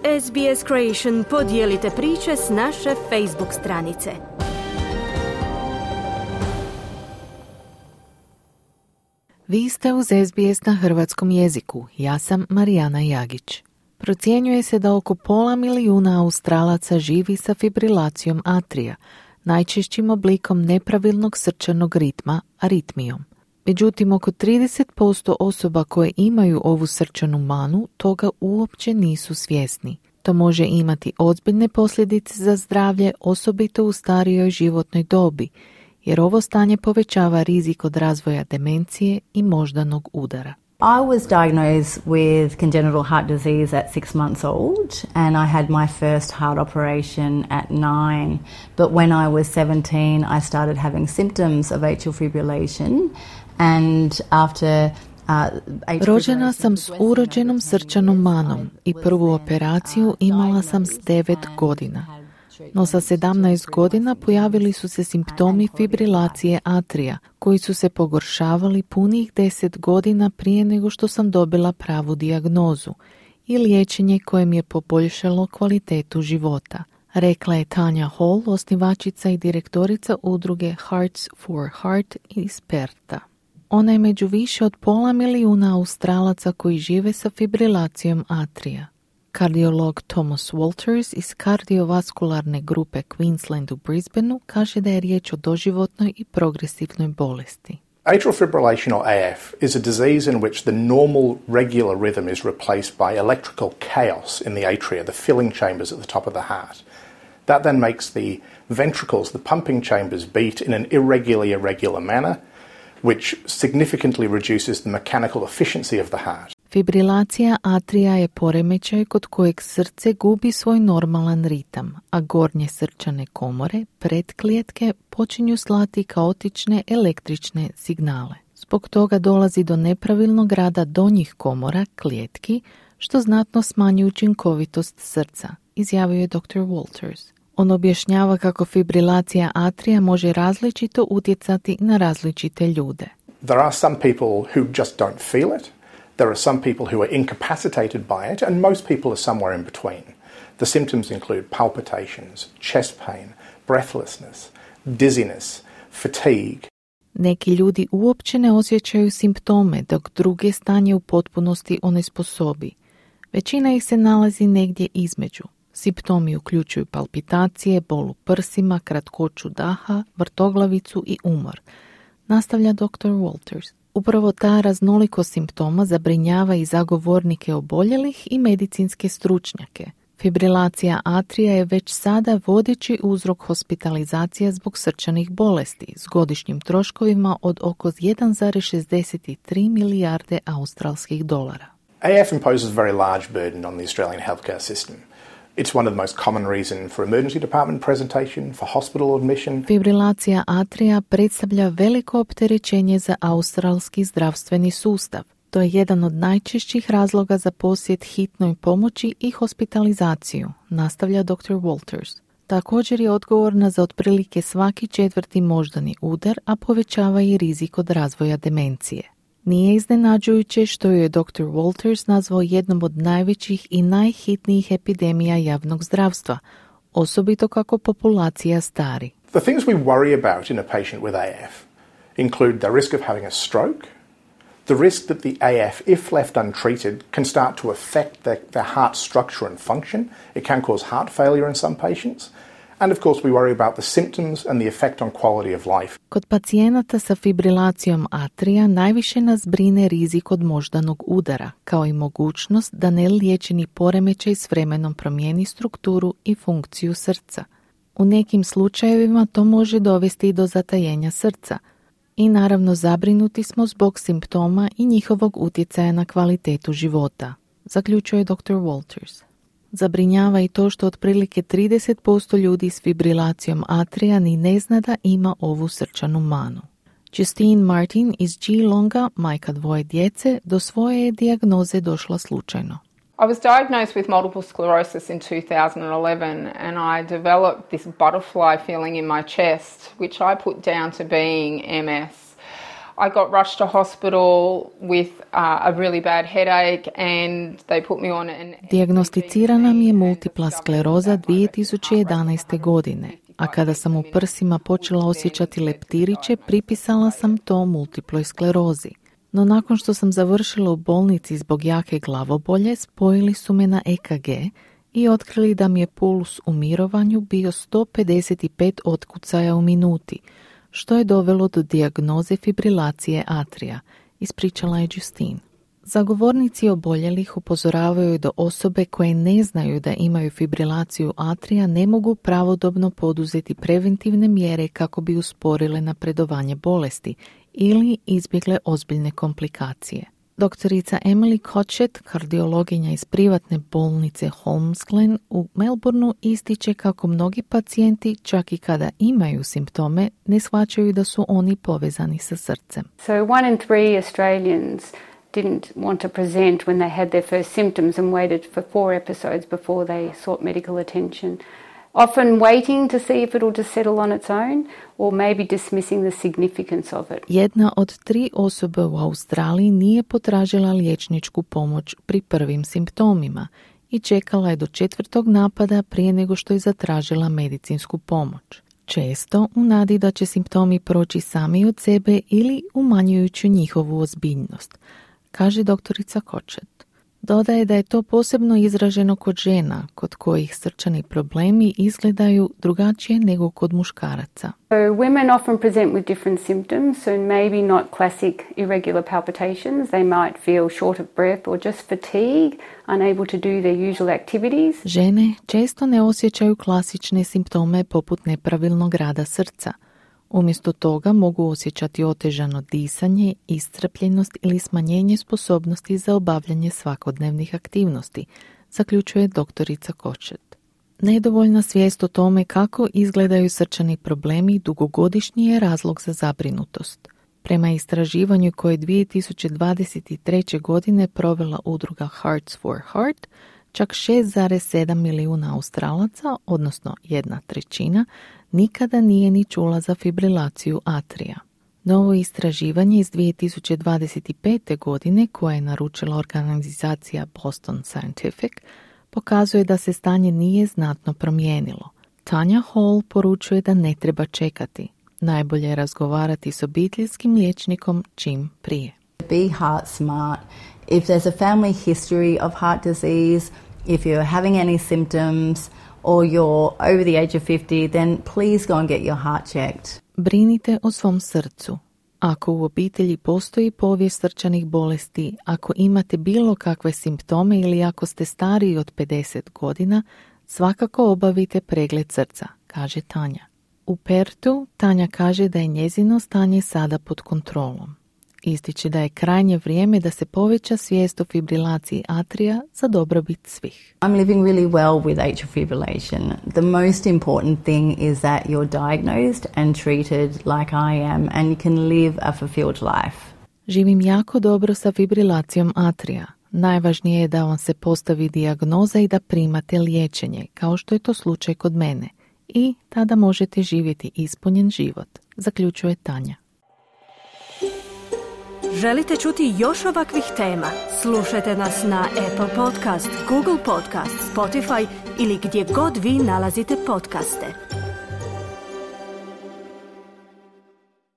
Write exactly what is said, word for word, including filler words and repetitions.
S B S Creation podijelite priče s naše Facebook stranice. Vi ste uz S B S na hrvatskom jeziku. Ja sam Marijana Jagić. Procjenjuje se da oko pola milijuna Australaca živi sa fibrilacijom atrija, najčešćim oblikom nepravilnog srčanog ritma, aritmijom. Međutim, oko trideset posto osoba koje imaju ovu srčanu manu toga uopće nisu svjesni. To može imati ozbiljne posljedice za zdravlje, osobito u starijoj životnoj dobi, jer ovo stanje povećava rizik od razvoja demencije i moždanog udara. I was diagnosed with congenital heart disease at six months old, and I had my first heart operation at nine. But when I was seventeen, I started having symptoms of atrial fibrillation, and after uh, Rođena sam s urođenom srčanom manom i prvu operaciju imala sam s devet godina. No sa sedamnaest godina pojavili su se simptomi fibrilacije atrija, koji su se pogoršavali punih deset godina prije nego što sam dobila pravu dijagnozu i liječenje koje mi je poboljšalo kvalitetu života, rekla je Tanja Hall, osnivačica i direktorica udruge Hearts for Heart iz Perta. Ona je među više od pola milijuna Australaca koji žive sa fibrilacijom atrija. Kardiolog Thomas Walters iz kardiovaskularne grupe Queensland u Brisbaneu kaže da je riječ o doživotnoj i progresivnoj bolesti. Atrial fibrillation, or A F, is a disease in which the normal regular rhythm is replaced by electrical chaos in the atria, the filling chambers at the top of the heart. That then makes the ventricles, the pumping chambers, beat in an irregular, irregular manner, which significantly reduces the mechanical efficiency of the heart. Fibrilacija atrija je poremećaj kod kojeg srce gubi svoj normalan ritam, a gornje srčane komore, pretklijetke, počinju slati kaotične električne signale. Zbog toga dolazi do nepravilnog rada donjih komora, klijetki, što znatno smanjuje učinkovitost srca, izjavio je doktor Walters. On objašnjava kako fibrilacija atrija može različito utjecati na različite ljude. There are some people who just don't feel it. There are some people who are incapacitated by it, and most people are somewhere in between. The symptoms include palpitations, chest pain, breathlessness, dizziness, fatigue. Neki ljudi uopće ne osjećaju simptome, dok druge stanje u potpunosti onesposobi. Većina ih se nalazi negdje između. Simptomi uključuju palpitacije, bol u prsima, kratkoću daha, vrtoglavicu i umor, nastavlja doktor Walters. Upravo ta raznolikost simptoma zabrinjava i zagovornike oboljelih i medicinske stručnjake. Fibrilacija atrija je već sada vodeći uzrok hospitalizacija zbog srčanih bolesti s godišnjim troškovima od oko jedan zarez šezdeset tri milijarde australskih dolara. A F imposes a very large burden on the Australian healthcare system. It's one of the most common reasons for emergency department presentation, for hospital admission. Fibrilacija atrija predstavlja veliko opterećenje za australski zdravstveni sustav. To je jedan od najčešćih razloga za posjet hitnoj pomoći i hospitalizaciju, nastavlja doktor Walters. Također je odgovorna za otprilike svaki četvrti moždani udar, a povećava i rizik od razvoja demencije. Nije iznenađujuće što je doktor Walters nazvao jednom od najvećih i najhitnijih epidemija javnog zdravstva, osobito kako populacija stari. The things we worry about in a patient with A F include the risk of having a stroke, the risk that the A F, if left untreated, can start to affect their, their heart structure and function. It can cause heart failure in some patients. And of course we worry about the symptoms and the effect on quality of life. Kod pacijenata sa fibrilacijom atrija najviše nas brine rizik od moždanog udara, kao i mogućnost da neliječeni poremećaj s vremenom promijeni strukturu i funkciju srca. U nekim slučajevima to može dovesti do zatajenja srca. I naravno zabrinuti smo zbog simptoma i njihovog utjecaja na kvalitetu života, zaključuje doktor Walters. Zabrinjava i to što otprilike trideset posto ljudi s fibrilacijom atrija ni ne zna da ima ovu srčanu manu. Justine Martin iz Geelonga, majka dvoje djece, do svoje je dijagnoze došla slučajno. I was diagnosed with multiple sclerosis in two thousand eleven and I developed this butterfly feeling in my chest, which I put down to being M S. I got rushed to hospital with uh, a really bad headache and they put me on an... Dijagnosticirana mi je multipla skleroza dvije tisuće jedanaeste. godine, a kada sam u prsima počela osjećati leptiriće, pripisala sam to multiploj sklerozi. No nakon što sam završila u bolnici zbog jake glavobolje, spojili su me na E K G i otkrili da mi je puls u mirovanju bio sto pedeset pet otkucaja u minuti, što je dovelo do dijagnoze fibrilacije atrija, ispričala je Justine. Zagovornici oboljelih upozoravaju da osobe koje ne znaju da imaju fibrilaciju atrija ne mogu pravodobno poduzeti preventivne mjere kako bi usporile napredovanje bolesti ili izbjegle ozbiljne komplikacije. Doktorica Emily Cotchett, kardiologinja iz privatne bolnice Holmesglen u Melbourneu, ističe kako mnogi pacijenti, čak i kada imaju simptome, ne shvaćaju da su oni povezani sa srcem. So one in three Australians didn't want to present when they had their first symptoms and waited for four episodes before they sought medical attention. Often waiting to see if it will just settle on its own or maybe dismissing the significance of it. Jedna od tri osobe u Australiji nije potražila liječničku pomoć pri prvim simptomima i čekala je do četvrtog napada prije nego što je zatražila medicinsku pomoć. Često u nadi da će simptomi proći sami od sebe ili umanjujući njihovu ozbiljnost, kaže doktorica Cotchett. Dodaje da je to posebno izraženo kod žena, kod kojih srčani problemi izgledaju drugačije nego kod muškaraca. So women often present with different symptoms, so maybe not classic irregular palpitations. They might feel short of breath or just fatigue, unable to do their usual activities. Žene često ne osjećaju klasične simptome poput nepravilnog rada srca. Umjesto toga mogu osjećati otežano disanje, iscrpljenost ili smanjenje sposobnosti za obavljanje svakodnevnih aktivnosti, zaključuje doktorica Cotchett. Nedovoljna svijest o tome kako izgledaju srčani problemi dugogodišnji je razlog za zabrinutost. Prema istraživanju koje je dvije tisuće dvadeset treće. godine provela udruga Hearts for Heart, čak šest zarez sedam milijuna Australaca, odnosno jedna trećina, nikada nije ni čula za fibrilaciju atrija. Novo istraživanje iz dvije tisuće dvadeset pete. godine, koje je naručila organizacija Boston Scientific, pokazuje da se stanje nije znatno promijenilo. Tanja Hall poručuje da ne treba čekati. Najbolje je razgovarati s obiteljskim liječnikom čim prije. Be heart smart. If there's a family history of heart disease, if you're having any symptoms, or you're over the age of fifty, then please go and get your heart checked. Brinite o svom srcu. Ako u obitelji postoji povijest srčanih bolesti, ako imate bilo kakve simptome ili ako ste stariji od pedeset godina, svakako obavite pregled srca, kaže Tanja. U Pertu Tanja kaže da je njezino stanje sada pod kontrolom. Ističe da je krajnje vrijeme da se poveća svijest o fibrilaciji atrija za dobrobit svih. I'm living really well with atrial fibrillation. The most important thing is that you're diagnosed and treated like I am and you can live a fulfilled life. Živim jako dobro sa fibrilacijom atrija. Najvažnije je da vam se postavi dijagnoza i da primate liječenje, kao što je to slučaj kod mene. I tada možete živjeti ispunjen život, zaključuje Tanja. Želite čuti još ovakvih tema? Slušajte nas na Apple Podcast, Google Podcast, Spotify ili gdje god vi nalazite podcaste.